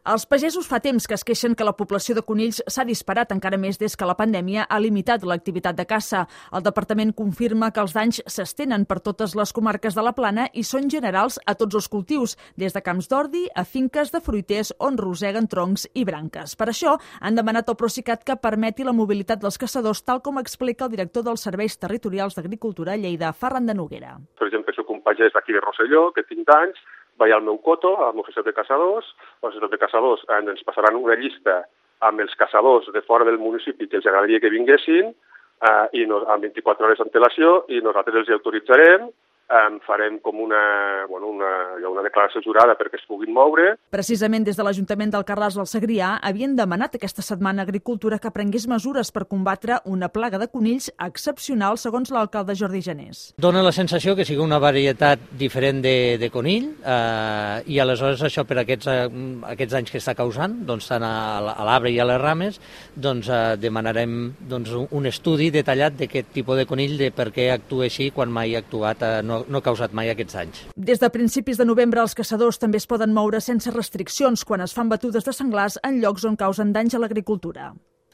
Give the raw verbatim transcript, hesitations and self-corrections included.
Els pagesos fa temps que es queixen que la població de conills s'ha disparat encara més des que la pandèmia ha limitat l'activitat de caça. El departament confirma que els danys s'estenen per totes les comarques de la Plana i són generals a tots els cultius, des de camps d'ordi a finques de fruiters on roseguen troncs i branques. Per això han demanat al Procicat que permeti la mobilitat dels caçadors, tal com explica el director dels Serveis Territorials d'Agricultura a Lleida, Ferran de Noguera. Per exemple, soc un pagès d'aquí de Rosselló, que tinc danys, vaig al meu coto, a la societat de caçadors, la societat de caçadors ens passaran una llista amb els caçadors de fora del municipi que els agradaria que vinguessin eh, i no, amb vint-i-quatre hores d'antelació i nosaltres els hi autoritzarem, eh, farem com una, bueno, una, una declaració jurada perquè es puguin moure. Precisament des de l'Ajuntament d'Alcarràs del Segrià havien demanat aquesta setmana a Agricultura que prengués mesures per combatre una plaga de conills excepcional, segons l'alcalde Jordi Janés. Dóna la sensació que sigui una varietat diferent de, de conill eh, i aleshores això per aquests, eh, aquests anys que està causant, doncs, tant a, a l'arbre i a les rames, doncs, eh, demanarem doncs, un estudi detallat d'aquest tipus de conill, de per què actua així quan mai ha actuat, eh, no, no ha causat mai aquests anys. Des de principis de novembre els caçadors també es poden moure sense restriccions quan es fan batudes de senglars en llocs on causen danys a l'agricultura.